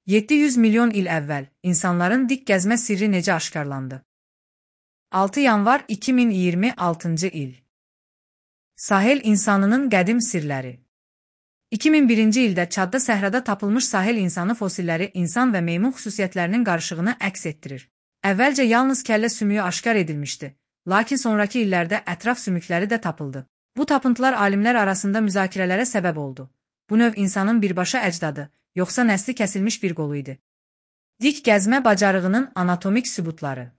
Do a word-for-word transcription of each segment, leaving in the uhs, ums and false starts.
yeddi yüz milyon il əvvəl insanların dik gəzmə sirri necə aşkarlandı? altı yanvar iki min iyirmi altıncı il. Sahel insanının qədim sirləri. iki min birinci ildə Çadda səhrada tapılmış sahel insanı fosilləri insan və meymun xüsusiyyətlərinin qarışığını əks etdirir. Əvvəlcə yalnız kəllə sümüyü aşkar edilmişdi, lakin sonraki illərdə ətraf sümükləri də tapıldı. Bu tapıntılar alimlər arasında müzakirələrə səbəb oldu. Bu növ insanın birbaşa əcdadı, yoxsa nəsli kəsilmiş bir qolu idi. Dik gəzmə bacarığının anatomik sübutları.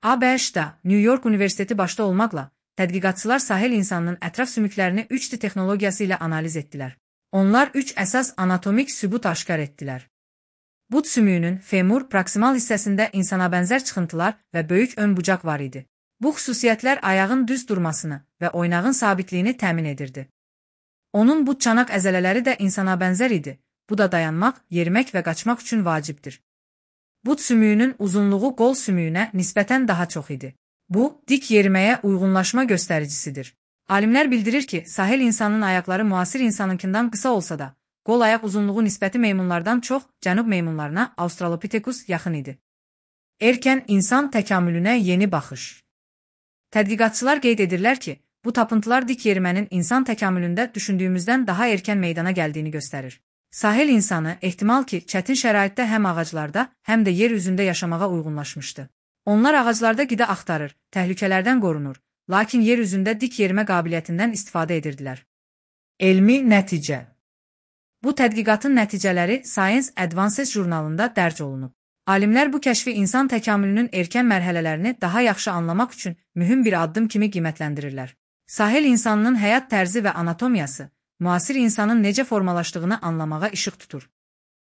A B Ş-da New York Universiteti başda olmaqla, tədqiqatçılar sahel insanının ətraf sümüklərini üç D texnologiyası ilə analiz etdilər. Onlar üç əsas anatomik sübut aşkar etdilər. But sümüyünün femur proksimal hissəsində insana bənzər çıxıntılar və böyük ön bucaq var idi. Bu xüsusiyyətlər ayağın düz durmasını və oynağın sabitliyini təmin edirdi. Onun but çanaq əzələləri də insana bənzər idi. Bu da dayanmaq, yerimək və qaçmaq üçün vacibdir. But sümüyünün uzunluğu qol sümüyünə nisbətən daha çox idi. Bu, dik yeriməyə uyğunlaşma göstəricisidir. Alimlər bildirir ki, sahel insanın ayaqları müasir insanınkindən qısa olsa da, qol ayaq uzunluğu nisbəti meymunlardan çox cənub meymunlarına Australopithecus yaxın idi. Erkən insan təkamülünə yeni baxış. Tədqiqatçılar qeyd edirlər ki, bu tapıntılar dik yerimənin insan təkamülündə düşündüyümüzdən daha erkən meydana gəldiyini göstərir. Sahel insanı ehtimal ki, çətin şəraitdə həm ağaclarda, həm də yer üzündə yaşamağa uyğunlaşmışdı. Onlar ağaclarda qida axtarır, təhlükələrdən qorunur, lakin yer üzündə dik yerimə qabiliyyətindən istifadə edirdilər. Elmi nəticə. Bu tədqiqatın nəticələri Science Advances jurnalında dərc olunub. Alimlər bu kəşfi insan təkamülünün erkən mərhələlərini daha yaxşı anlamaq üçün mühüm bir addım kimi qiymətləndirirlər. Sahel insanının həyat tərzi və anatomiyası, müasir insanın necə formalaşdığını anlamağa işıq tutur.